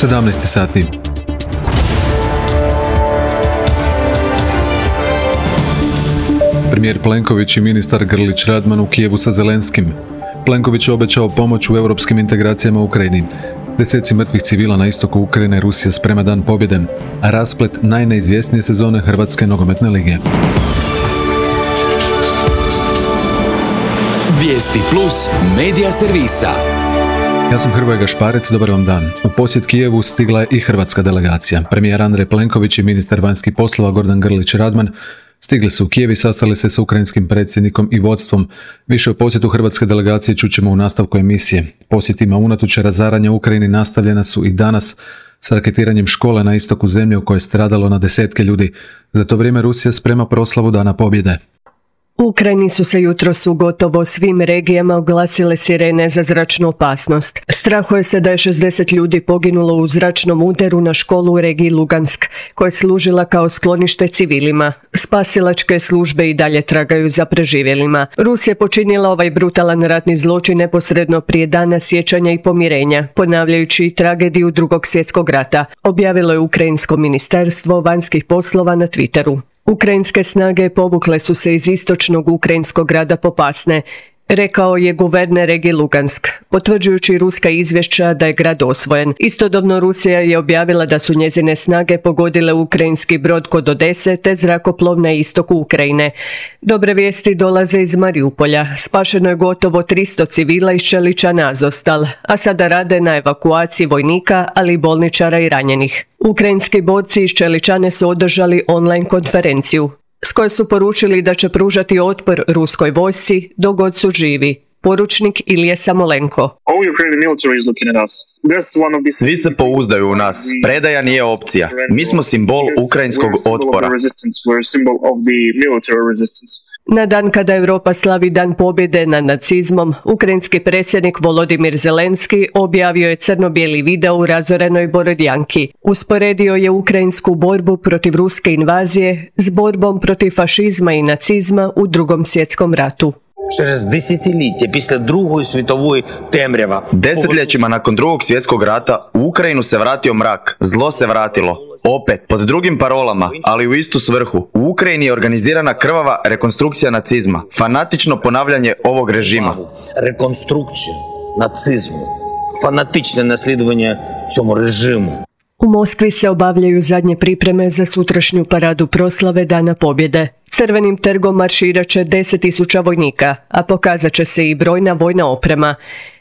17 sati. Premijer Plenković i ministar Grlić Radman u Kijevu sa Zelenskim. Plenković je obećao pomoć u europskim integracijama u Ukrajini. Deseci mrtvih civila na istoku Ukrajine, Rusija sprema dan pobjede, a rasplet najneizvjesnije sezone Hrvatske nogometne lige. Vijesti plus medija servisa. Ja sam Hrvoje Gašparec, dobar vam dan. U posjet Kijevu stigla je i hrvatska delegacija. Premijer Andrej Plenković i ministar vanjskih poslova Gordan Grlić Radman stigli su u Kijev i sastali se sa ukrajinskim predsjednikom i vodstvom. Više o posjetu hrvatske delegacije čućemo u nastavku emisije. Posjetima unatoč razaranja u Ukrajini nastavljena su i danas s raketiranjem škole na istoku zemlje u kojoj je stradalo na desetke ljudi. Za to vrijeme Rusija sprema proslavu Dana pobjede. U Ukrajini su se jutros u gotovo svim regijama oglasile sirene za zračnu opasnost. Strahuje se da je 60 ljudi poginulo u zračnom udaru na školu u regiji Lugansk, koja je služila kao sklonište civilima. Spasilačke službe i dalje tragaju za preživjelima. Rusija je počinila ovaj brutalan ratni zločin neposredno prije dana sjećanja i pomirenja, ponavljajući tragediju Drugog svjetskog rata, objavilo je Ukrajinsko ministarstvo vanjskih poslova na Twitteru. Ukrajinske snage povukle su se iz istočnog ukrajinskog grada Popasne, rekao je guverner regije Lugansk, potvrđujući ruska izvješća da je grad osvojen. Istodobno Rusija je objavila da su njezine snage pogodile ukrajinski brod kod Odese te zrakoplov na istoku Ukrajine. Dobre vijesti dolaze iz Mariupolja. Spašeno je gotovo 300 civila iz Čeličana Azovstal, a sada rade na evakuaciji vojnika, ali i bolničara i ranjenih. Ukrajinski borci iz Čeličane su održali online konferenciju s kojoj su poručili da će pružati otpor ruskoj vojsci dok god su živi. Poručnik Ilije Samolenko. Svi se pouzdaju u nas. Predaja nije opcija. Mi smo simbol ukrajinskog otpora. Na dan kada Europa slavi Dan pobjede nad nacizmom, ukrajinski predsjednik Volodimir Zelenski objavio je crno-bijeli video u razorenoj Borodjanki. Usporedio je ukrajinsku borbu protiv ruske invazije s borbom protiv fašizma i nacizma u Drugom svjetskom ratu. Desetljećima nakon Drugog svjetskog rata u Ukrajinu se vratio mrak, zlo se vratilo. Opet, pod drugim parolama, ali u istu svrhu. U Ukrajini je organizirana krvava rekonstrukcija nacizma, fanatično ponavljanje ovog režima. Rekonstrukcija nacizmu, fanatično nasljedovanje ćemo režimu. U Moskvi se obavljaju zadnje pripreme za sutrašnju paradu proslave Dana pobjede. Crvenim trgom marširat će 10.000 vojnika, a pokazat će se i brojna vojna oprema.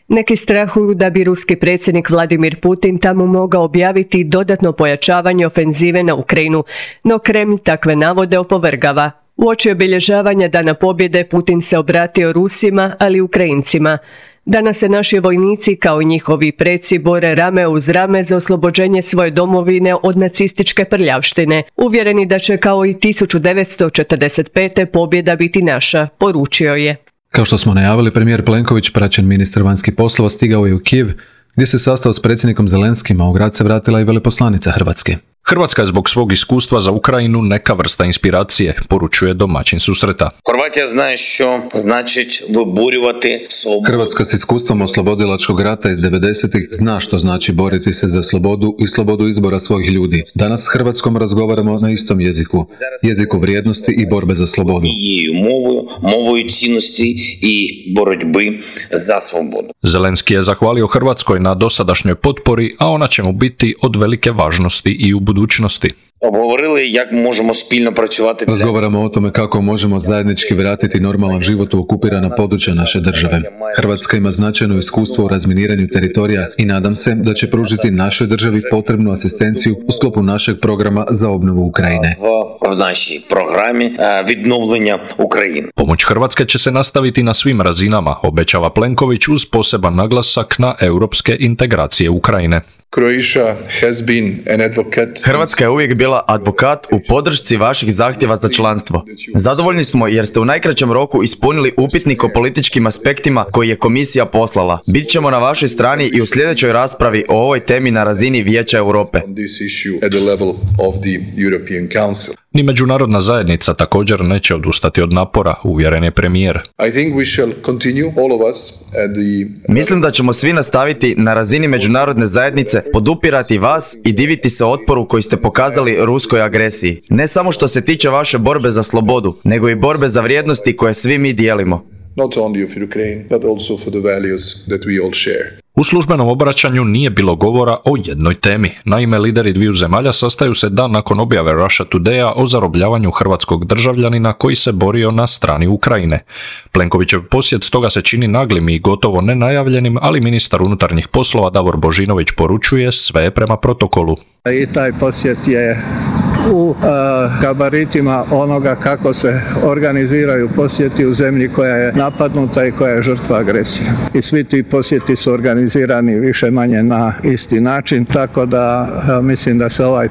Neki strahuju da bi ruski predsjednik Vladimir Putin tamo mogao objaviti dodatno pojačavanje ofenzive na Ukrajinu, no Kremlj takve navode opovrgava. Uoči obilježavanja Dana pobjede Putin se obratio Rusima, ali i Ukrajincima. Danas se naši vojnici, kao i njihovi preci, bore rame uz rame za oslobođenje svoje domovine od nacističke prljavštine. Uvjereni da će kao i 1945. pobjeda biti naša, poručio je. Kao što smo najavili, premijer Plenković, praćen ministar vanjskih poslova, stigao je u Kijev, gdje se sastao s predsjednikom Zelenskim, a u grad se vratila i veleposlanica Hrvatske. Hrvatska je zbog svog iskustva za Ukrajinu neka vrsta inspiracije, poručuje domaćin susreta. Hrvatska s iskustvom oslobodilačkog rata iz 90-ih zna što znači boriti se za slobodu i slobodu izbora svojih ljudi. Danas s Hrvatskom razgovaramo na istom jeziku, jeziku vrijednosti i borbe za slobodu. Zelenski je zahvalio Hrvatskoj na dosadašnjoj potpori, a ona će mu biti od velike važnosti i u budućnosti. Razgovaramo o tome kako možemo zajednički vratiti normalan život u okupirana područja naše države. Hrvatska ima značajno iskustvo u razminiranju teritorija i nadam se da će pružiti našoj državi potrebnu asistenciju u sklopu našeg programa za obnovu Ukrajine. Pomoć Hrvatske će se nastaviti na svim razinama, obećava Plenković uz poseban naglasak na europske integracije Ukrajine. Hrvatska je uvijek bila advokat u podršci vaših zahtjeva za članstvo. Zadovoljni smo jer ste u najkraćem roku ispunili upitnik o političkim aspektima koji je komisija poslala. Bit ćemo na vašoj strani i u sljedećoj raspravi o ovoj temi na razini Vijeća Europe. Ni međunarodna zajednica također neće odustati od napora, uvjeren je premijer. Mislim da ćemo svi nastaviti na razini međunarodne zajednice podupirati vas i diviti se otporu koji ste pokazali ruskoj agresiji. Ne samo što se tiče vaše borbe za slobodu, nego i borbe za vrijednosti koje svi mi dijelimo. Not only of Ukraine, but also for the values that we all share. U službenom obraćanju nije bilo govora o jednoj temi. Naime, lideri dviju zemalja sastaju se dan nakon objave Russia Today-a o zarobljavanju hrvatskog državljanina koji se borio na strani Ukrajine. Plenkovićev posjet stoga se čini naglim i gotovo nenajavljenim, ali ministar unutarnjih poslova Davor Božinović poručuje sve prema protokolu. I taj posjet je u gabaritima onoga kako se organiziraju posjeti u zemlji koja je napadnuta i koja je žrtva agresije. I svi ti posjeti su organizirani više manje na isti način, tako da mislim da se ovaj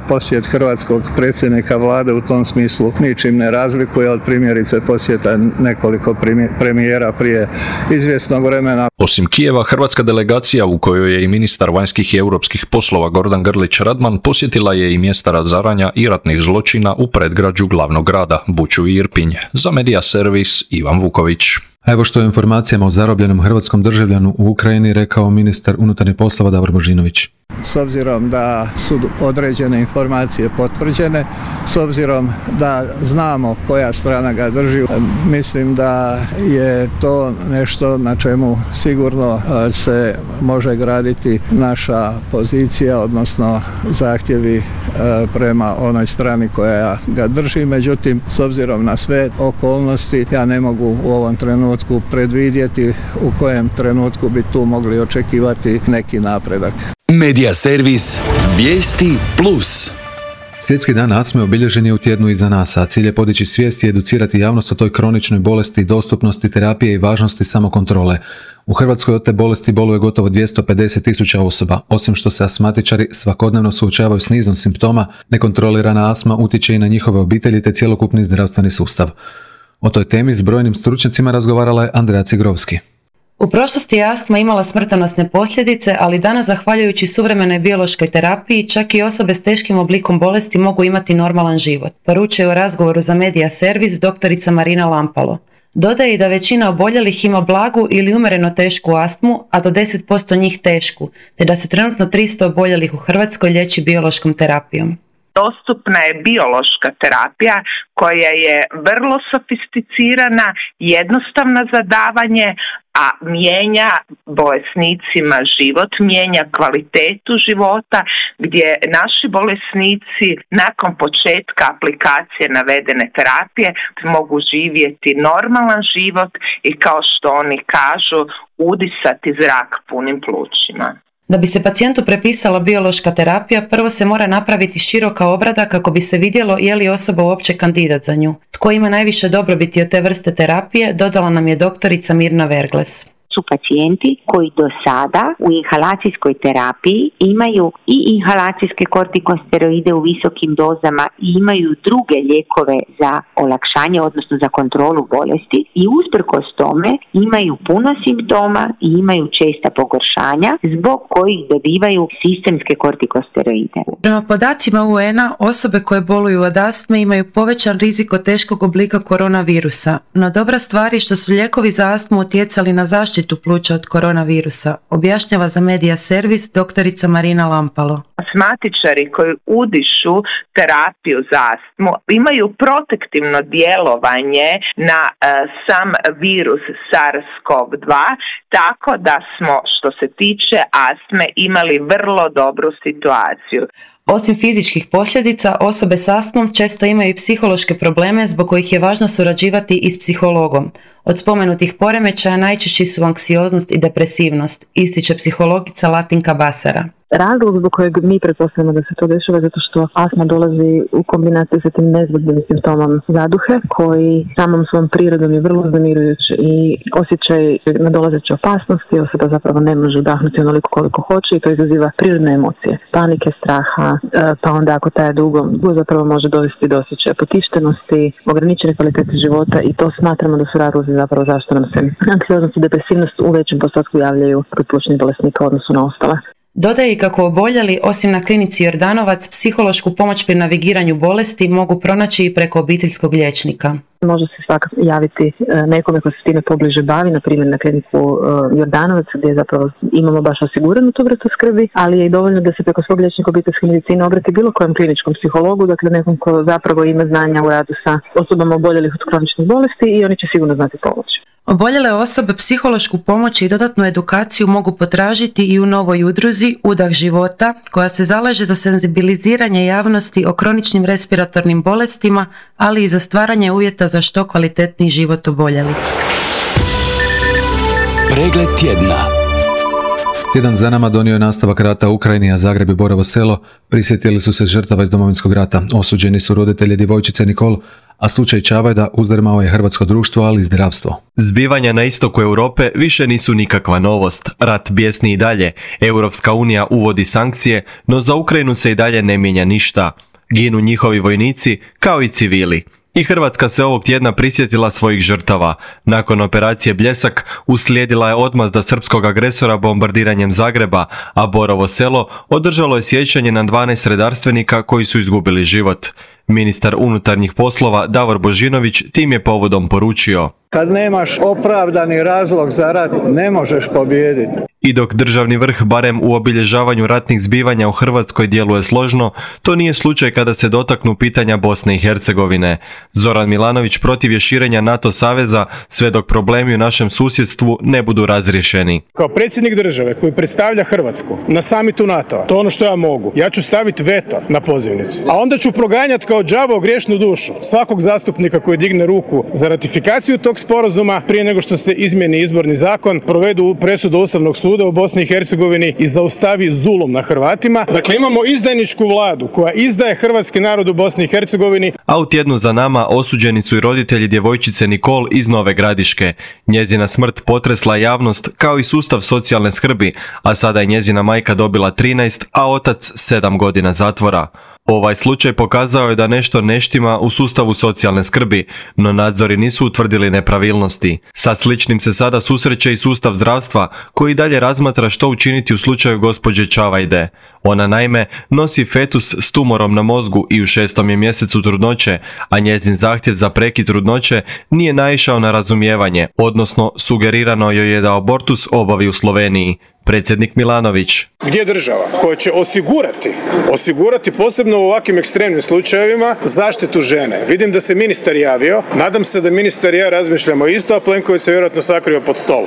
posjet hrvatskog predsjednika vlade u tom smislu ničim ne razlikuje od primjerice posjeta nekoliko premijera prije izvjesnog vremena. Osim Kijeva, hrvatska delegacija u kojoj je i ministar vanjskih i europskih poslova Gordan Grlić Radman posjetila je i mjesta razaranja i ratnih zločina u predgrađu glavnog grada, Buču i Irpinj. Za Media Servis Ivan Vuković. A evo što je informacijama o zarobljenom hrvatskom državljanu u Ukrajini rekao ministar unutarnjih poslova Davor Božinović. S obzirom da su određene informacije potvrđene, s obzirom da znamo koja strana ga drži, mislim da je to nešto na čemu sigurno se može graditi naša pozicija, odnosno zahtjevi prema onoj strani koja ga drži. Međutim, s obzirom na sve okolnosti, ja ne mogu u ovom trenutku predvidjeti u kojem trenutku bi tu mogli očekivati neki napredak. Media Servis Vijesti Plus. Svjetski dan astme obilježen je u tjednu iza nas, a cilj je podići svijest i educirati javnost o toj kroničnoj bolesti, dostupnosti terapije i važnosti samokontrole. U Hrvatskoj od te bolesti boluje gotovo 250.000 osoba. Osim što se astmatičari svakodnevno suočavaju s nizom simptoma, nekontrolirana astma utječe i na njihove obitelji te cjelokupni zdravstveni sustav. O toj temi s brojnim stručnjacima razgovarala je Andreja Cigrovski. U prošlosti je astma imala smrtonosne posljedice, ali danas, zahvaljujući suvremenoj biološkoj terapiji, čak i osobe s teškim oblikom bolesti mogu imati normalan život, poručuje u razgovoru za Media Servis doktorica Marina Lampalo. Dodaje i da većina oboljelih ima blagu ili umjereno tešku astmu, a do 10% njih tešku, te da se trenutno 300 oboljelih u Hrvatskoj liječi biološkom terapijom. Dostupna je biološka terapija koja je vrlo sofisticirana, jednostavna za davanje, a mijenja bolesnicima život, mijenja kvalitetu života, gdje naši bolesnici nakon početka aplikacije navedene terapije mogu živjeti normalan život i, kao što oni kažu, udisati zrak punim plućima. Da bi se pacijentu prepisala biološka terapija, prvo se mora napraviti široka obrada kako bi se vidjelo je li osoba uopće kandidat za nju. Tko ima najviše dobrobiti od te vrste terapije, dodala nam je doktorica Mirna Vergles. Su pacijenti koji do sada u inhalacijskoj terapiji imaju i inhalacijske kortikosteroide u visokim dozama i imaju druge lijekove za olakšanje, odnosno za kontrolu bolesti, i usprkos tome imaju puno simptoma i imaju česta pogoršanja zbog kojih dobivaju sistemske kortikosteroide. Prema podacima UN-a, osobe koje boluju od astme imaju povećan rizik od teškog oblika koronavirusa, no dobra stvar je što su lijekovi za astmu utjecali na zaštitu pluća od koronavirusa, objašnjava za Media Servis doktorica Marina Lampalo. Astmatičari koji udišu terapiju za astmu imaju protektivno djelovanje na sam virus SARS-CoV-2, tako da smo, što se tiče astme, imali vrlo dobru situaciju. Osim fizičkih posljedica, osobe s astmom često imaju i psihološke probleme zbog kojih je važno surađivati i s psihologom. Od spomenutih poremećaja najčešći su anksioznost i depresivnost, ističe psihologica Latinka Basara. Razlog zbog kojeg mi pretpostavljamo da se to dešava zato što astma dolazi u kombinaciji sa tim nezgodnim simptomom zaduhe, koji samom svom prirodom je vrlo uznemirujući i osjećaj nadolazeće opasnosti, osoba zapravo ne može udahnuti onoliko koliko hoće i to izaziva prirodne emocije, panike, straha, pa onda ako traje dugo zapravo može dovesti do osjećaja potištenosti, ograničene kvalitete života, i to smatramo da su razlozi zapravo zašto nam se anksioznost i depresivnost u većem postotku javljaju kod plućnih bolesnika u odnosu na ostale. Dodaje i kako oboljeli, osim na klinici Jordanovac, psihološku pomoć pri navigiranju bolesti mogu pronaći i preko obiteljskog liječnika. Može se svakako javiti nekome ko se time pobliže bavi, na primjer na kliniku Jordanovac gdje zapravo imamo baš osiguranu tu vrstu skrbi, ali je i dovoljno da se preko svog liječnika obiteljske medicine obrati bilo kojem kliničkom psihologu, dakle nekom ko zapravo ima znanja u radu sa osobama oboljelih od kroničnih bolesti i oni će sigurno znati pomoći. Oboljele osobe psihološku pomoć i dodatnu edukaciju mogu potražiti i u novoj udruzi Udah života, koja se zalaže za senzibiliziranje javnosti o kroničnim respiratornim bolestima, ali i za stvaranje uvjeta za što kvalitetniji život oboljelih. Pregled tjedna. Tjedan za nama donio je nastavak rata u Ukrajini, a Zagreb i Borovo Selo prisjetili su se žrtava iz Domovinskog rata. Osuđeni su roditelji djevojčice Nikol, a slučaj Čavajda uzdrmao je hrvatsko društvo, ali i zdravstvo. Zbivanja na istoku Europe više nisu nikakva novost. Rat bijesni i dalje. Europska unija uvodi sankcije, no za Ukrajinu se i dalje ne mijenja ništa. Ginu njihovi vojnici, kao i civili. I Hrvatska se ovog tjedna prisjetila svojih žrtava. Nakon operacije Bljesak uslijedila je odmazda srpskog agresora bombardiranjem Zagreba, a Borovo Selo održalo je sjećanje na 12 redarstvenika koji su izgubili život. Ministar unutarnjih poslova Davor Božinović tim je povodom poručio: Kad nemaš opravdani razlog za rat, ne možeš pobijediti. I dok državni vrh barem u obilježavanju ratnih zbivanja u Hrvatskoj djeluje složno, to nije slučaj kada se dotaknu pitanja Bosne i Hercegovine. Zoran Milanović protiv je širenja NATO saveza sve dok problemi u našem susjedstvu ne budu razriješeni. Kao predsjednik države koji predstavlja Hrvatsku na samitu NATO-a, to je ono što ja mogu, ja ću staviti veto na pozivnicu. A onda ću proganjati kao đavo griješnu dušu svakog zastupnika koji digne ruku za ratifikaciju tog sporazuma prije nego što se izmijeni izborni zakon, provedu presudu Ustavnog suda u Bosni i Hercegovini i zaustavi zulum na Hrvatima. Dakle, imamo izdajničku vladu koja izdaje hrvatski narod u Bosni i Hercegovini. A u tjednu za nama osuđeni su i roditelji djevojčice Nikol iz Nove Gradiške. Njezina smrt potresla javnost kao i sustav socijalne skrbi, a sada je njezina majka dobila 13, a otac 7 godina zatvora. Ovaj slučaj pokazao je da nešto ne štima u sustavu socijalne skrbi, no nadzori nisu utvrdili nepravilnosti. Sa sličnim se sada susreće i sustav zdravstva, koji dalje razmatra što učiniti u slučaju gospođe Čavajde. Ona naime nosi fetus s tumorom na mozgu i u 6. je mjesecu trudnoće, a njezin zahtjev za prekid trudnoće nije naišao na razumijevanje, odnosno sugerirano joj je da abortus obavi u Sloveniji. Predsjednik Milanović: Gdje je država koja će osigurati posebno u ovakvim ekstremnim slučajevima zaštitu žene? Vidim da se ministar javio, nadam se da ministar i ja razmišljamo isto, a Plenković se vjerojatno sakrio pod stol.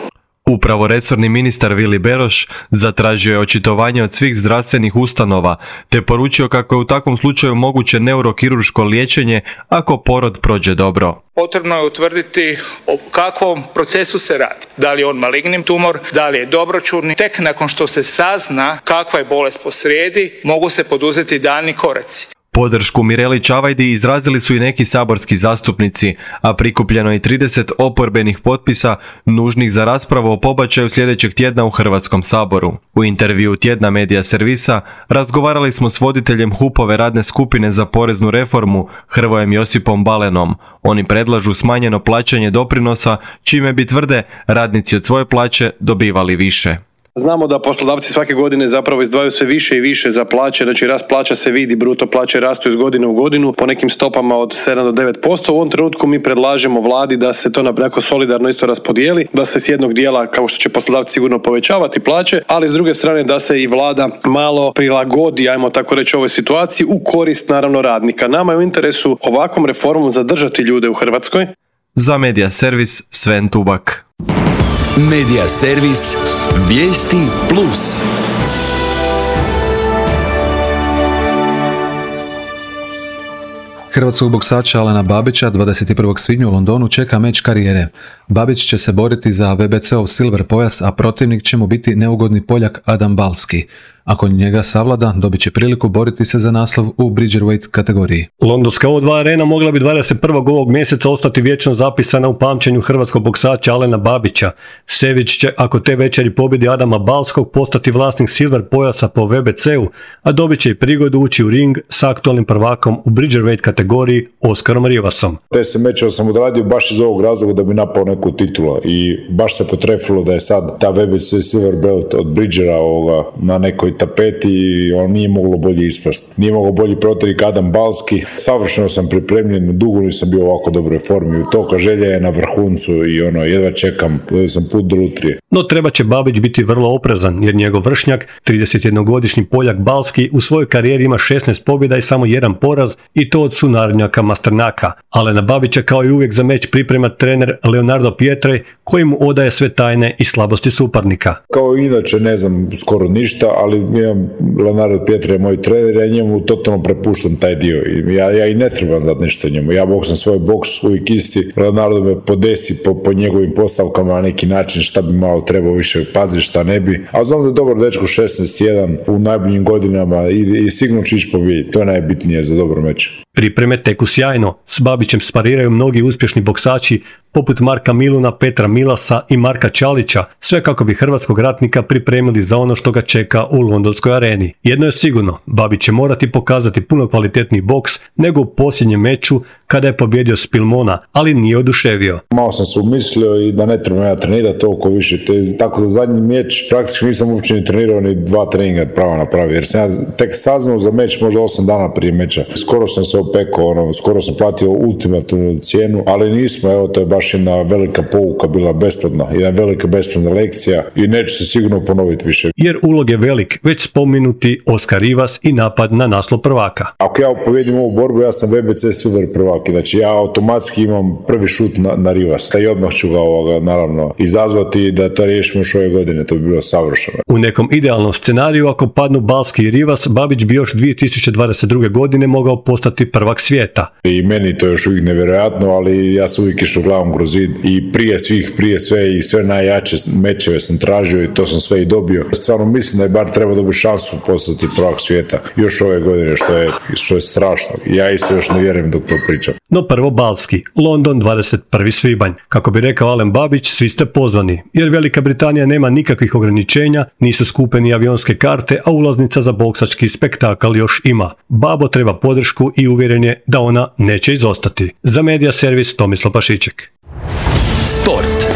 Upravo resorni ministar Vili Beroš zatražio je očitovanje od svih zdravstvenih ustanova, te poručio kako je u takvom slučaju moguće neurokirurško liječenje ako porod prođe dobro. Potrebno je utvrditi o kakvom procesu se radi. Da li je on maligni tumor, da li je dobroćudni. Tek nakon što se sazna kakva je bolest posrijedi, mogu se poduzeti daljnji koraci. Podršku Mireli Čavajdi izrazili su i neki saborski zastupnici, a prikupljeno je 30 oporbenih potpisa nužnih za raspravu o pobačaju sljedećeg tjedna u Hrvatskom saboru. U intervjuu tjedna Medija servisa razgovarali smo s voditeljem HUP-ove radne skupine za poreznu reformu Hrvojem Josipom Balenom. Oni predlažu smanjeno plaćanje doprinosa, čime bi, tvrde, radnici od svoje plaće dobivali više. Znamo da poslodavci svake godine zapravo izdvajaju sve više i više za plaće, znači rast plaća se vidi, bruto plaće rastu iz godine u godinu po nekim stopama od 7 do 9%. U ovom trenutku mi predlažemo vladi da se to nekako solidarno isto raspodijeli, da se s jednog dijela, kao što će poslodavci sigurno povećavati plaće, ali s druge strane da se i vlada malo prilagodi, ajmo tako reći, ovoj situaciji u korist naravno radnika. Nama je u interesu ovakvom reformom zadržati ljude u Hrvatskoj. Za Medija servis Sven Tubak. Medija servis Vijesti Plus. Hrvatskog boksača Alena Babića 21. svibnja u Londonu čeka meč karijere. Babić će se boriti za WBC-ov silver pojas, a protivnik će mu biti neugodni Poljak Adam Balski. Ako njega savlada, dobit će priliku boriti se za naslov u Bridgerweight kategoriji. Londonska O2 arena mogla bi 21. ovog mjeseca ostati vječno zapisana u pamćenju hrvatskog boksača Alena Babića. Sević će, ako te večeri pobjedi Adama Balskog, postati vlasnik silver pojasa po WBC-u, a dobit će i prigodu ući u ring s aktualnim prvakom u Bridgerweight kategoriji Oskarom Rivasom. 10 mečeva sam odradio baš iz ovog razloga da bi napao neku titulu i baš se potrefilo da je sad ta WBC silver belt od Bridgera na nekoj tapeti i on nije moglo bolje ispast. Nije moglo bolji protivnik Adam Balski. Savršeno sam pripremljen, dugo nisam bio u ovako dobroj formi. Toka želja je na vrhuncu i jedva čekam, sam put do lutrije. No treba će Babić biti vrlo oprezan jer njegov vršnjak, 31-godišnji Poljak Balski, u svojoj karijeri ima 16 pobjeda i samo 1 poraz i to od sunarodnjaka Masternaka. Alena Babića kao i uvijek za meč priprema trener Leonardo Pietre koji mu odaje sve tajne i slabosti suparnika. Kao inače ne znam skoro ništa, ali Leonardo Pietre je moj trener, ja njemu totalno prepuštam taj dio. Ja i ne trebam znati ništa njemu. Ja boksam svoj boks uvijek isti. Leonardo me podesi po njegovim postavkama na neki način šta bi malo trebao više paziti, šta ne bi. A znam da je dobar dečko 16-1 u najboljim godinama i sigurno će ići pobijediti. To je najbitnije za dobar meč. Pripreme teku sjajno. S Babićem spariraju mnogi uspješni boksači poput Marka Miluna, Petra Milasa i Marka Čalića, sve kako bi hrvatskog ratnika pripremili za ono što ga čeka u londonskoj areni. Jedno je sigurno, Babić će morati pokazati puno kvalitetniji boks nego u posljednjem meču kada je pobjedio Spilmona, ali nije oduševio. Malo sam se umislio i da ne trebam ja trenirati toliko više. Tako za zadnji meč praktički nisam uopće ni trenirao ni 2 treninga pravo napravio, jer sam ja tek saznao za meč možda 8 dana prije meča. Skoro sam se opekao, skoro sam platio ultimativnu cijenu, ali nismo, evo to je baš jedna velika pouka bila besplatna, jedna velika besplatna lekcija i neće se sigurno ponoviti više. Jer ulog je velik, već spomenuti Oskar Rivas i napad na naslov prvaka. Ako ja pobjedim ovu borbu, ja sam VBC Silver prvak, znači ja automatski imam prvi šut na Rivas, i odmah ću ga naravno izazvati da to riješimo još ove godine, to bi bilo savršeno. U nekom idealnom scenariju, ako padnu Balski i Rivas, Babić bi još 2022. godine mogao postati prvak svijeta. I meni to je još uvijek nevjerojatno, ali ja sam uvijek išao glavom kroz zid i prije sve i sve najjače mečeve sam tražio i to sam sve i dobio. Stvarno mislim da je bar treba dobiti šansu postati prvak svijeta još ove godine, što je strašno. Ja isto još ne vjerujem dok to pričam. No prvo Balski, London 21. svibanj. Kako bi rekao Alen Babić, svi ste pozvani, jer Velika Britanija nema nikakvih ograničenja, nisu skupe ni avionske karte, a ulaznica za boksački spektakl još ima. Babo treba podršku i uvjeren je da ona neće izostati. Za Medija servis Tomislav Pašiček. Sport.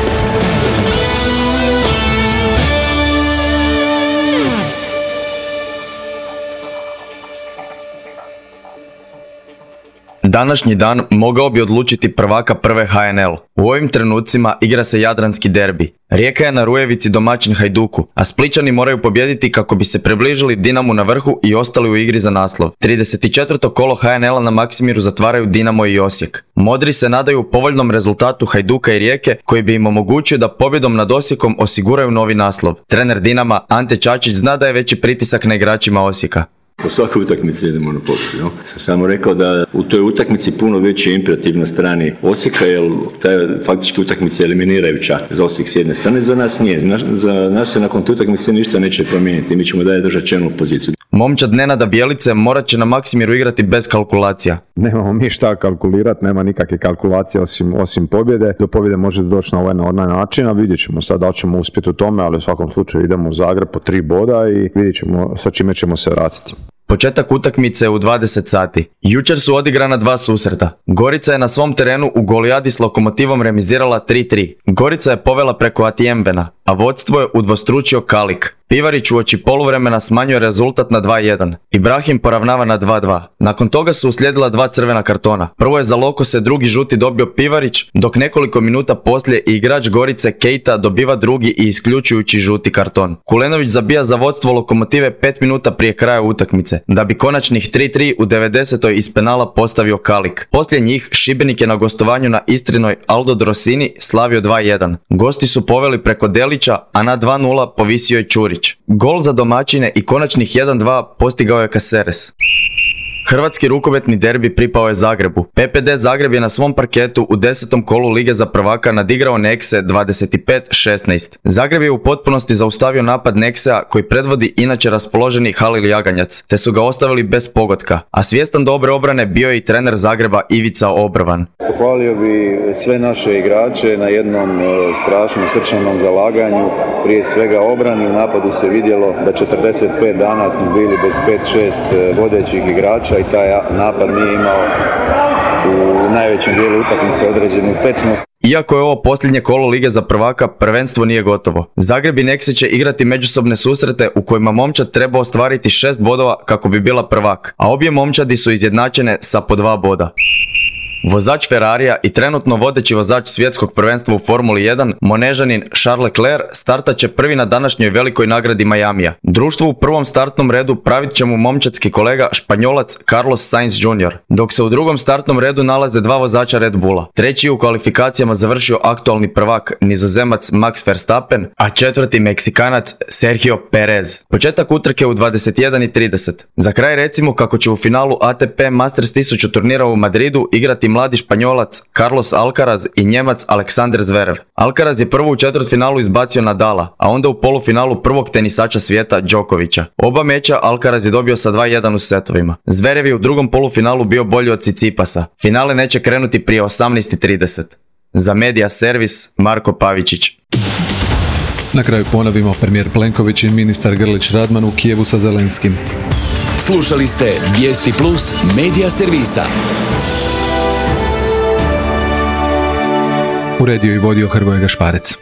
Današnji dan mogao bi odlučiti prvaka prve HNL. U ovim trenucima igra se jadranski derbi. Rijeka je na Rujevici domaćin Hajduku, a Splićani moraju pobijediti kako bi se približili Dinamu na vrhu i ostali u igri za naslov. 34. kolo HNL-a na Maksimiru zatvaraju Dinamo i Osijek. Modri se nadaju povoljnom rezultatu Hajduka i Rijeke koji bi im omogućio da pobjedom nad Osijekom osiguraju novi naslov. Trener Dinama Ante Čačić zna da je veći pritisak na igračima Osijeka. Po svakoj utakmici idemo na pobjedu. Sam samo rekao da u toj utakmici puno veći imperativ na strani Osijeka, jer ta faktički utakmica je eliminirajuća za Osijek s jedne strane, za nas nije. Za nas se nakon te utakmice ništa neće promijeniti. Mi ćemo dalje držati čelnu poziciju. Momčad Nenada Bjelice morat će na Maksimiru igrati bez kalkulacija. Nemamo mi šta kalkulirati, nema nikakve kalkulacije osim pobjede. Do pobjede može doći na onaj način, a vidjet ćemo sad da ćemo uspjeti u tome, ali u svakom slučaju idemo u Zagreb po 3 boda i vidjet ćemo sa čime ćemo se vratiti. Početak utakmice u 20 sati. Jučer su odigrana 2 susreta. Gorica je na svom terenu u Golijadi s Lokomotivom remizirala 3-3. Gorica je povela preko Atijembena, a vodstvo je udvostručio Kalik. Pivarić uoči poluvremena smanjuje rezultat na 2-1. Ibrahim poravnava na 2-2. Nakon toga su uslijedila 2 crvena kartona. Prvo je za Lokose drugi žuti dobio Pivarić, dok nekoliko minuta poslije i igrač Gorice Keita dobiva drugi i isključujući žuti karton. Kulenović zabija za vodstvo Lokomotive 5 minuta prije kraja utakmice, da bi konačnih 3-3 u 90. iz penala postavio Kalik. Poslije njih Šibenik je na gostovanju na Istrinoj Aldo Drosini slavio 2-1. Gosti su poveli preko Delića, a na 2-0 povisio je Čurić. Gol za domaćine i konačnih 1-2 postigao je Caceres. Hrvatski rukometni derbi pripao je Zagrebu. PPD Zagreb je na svom parketu u 10. kolu Lige za prvaka nadigrao Nexe 25-16. Zagreb je u potpunosti zaustavio napad Nexea koji predvodi inače raspoloženi Halil Jaganjac, te su ga ostavili bez pogotka, a svjestan dobre obrane bio je i trener Zagreba Ivica Obrvan. Pohvalio bi sve naše igrače na jednom strašnom srčanom zalaganju, prije svega obrani. U napadu se vidjelo da 45 dana smo bili bez 5-6 vodećih igrača i taj napad nije imao u najvećem dijelu utakmice određenu tečnost. Iako je ovo posljednje kolo Lige za prvaka, prvenstvo nije gotovo. Zagreb i Nexe će igrati međusobne susrete u kojima momčad treba ostvariti 6 bodova kako bi bila prvak, a obje momčadi su izjednačene sa po 2 boda. Vozač Ferrarija i trenutno vodeći vozač svjetskog prvenstva u Formuli 1, Monežanin Charles Leclerc, startat će prvi na današnjoj velikoj nagradi Majamija. Društvo u prvom startnom redu pravit će mu momčadski kolega Španjolac Carlos Sainz Jr., dok se u drugom startnom redu nalaze 2 vozača Red Bulla. Treći je u kvalifikacijama završio aktualni prvak Nizozemac Max Verstappen, a četvrti Meksikanac Sergio Perez. Početak utrke u 21:30. Za kraj recimo kako će u finalu ATP Masters 1000 turnira u Madridu igrati mladi Španjolac Carlos Alcaraz i Njemac Alexander Zverev. Alcaraz je prvo u četvrtfinalu izbacio Nadala, a onda u polufinalu prvog tenisača svijeta Đokovića. Oba meča Alcaraz je dobio sa 2:1 u setovima. Zverev je u drugom polufinalu bio bolji od Tsitsipasa. Finale neće krenuti prije 18:30. Za Media Servis, Marko Pavičić. Na kraju ponovimo, premijer Plenković i ministar Grlić Radman u Kijevu sa Zelenskim. Slušali ste Vijesti Plus Media Servisa. Uredio i vodio Hrvoje Gašparec.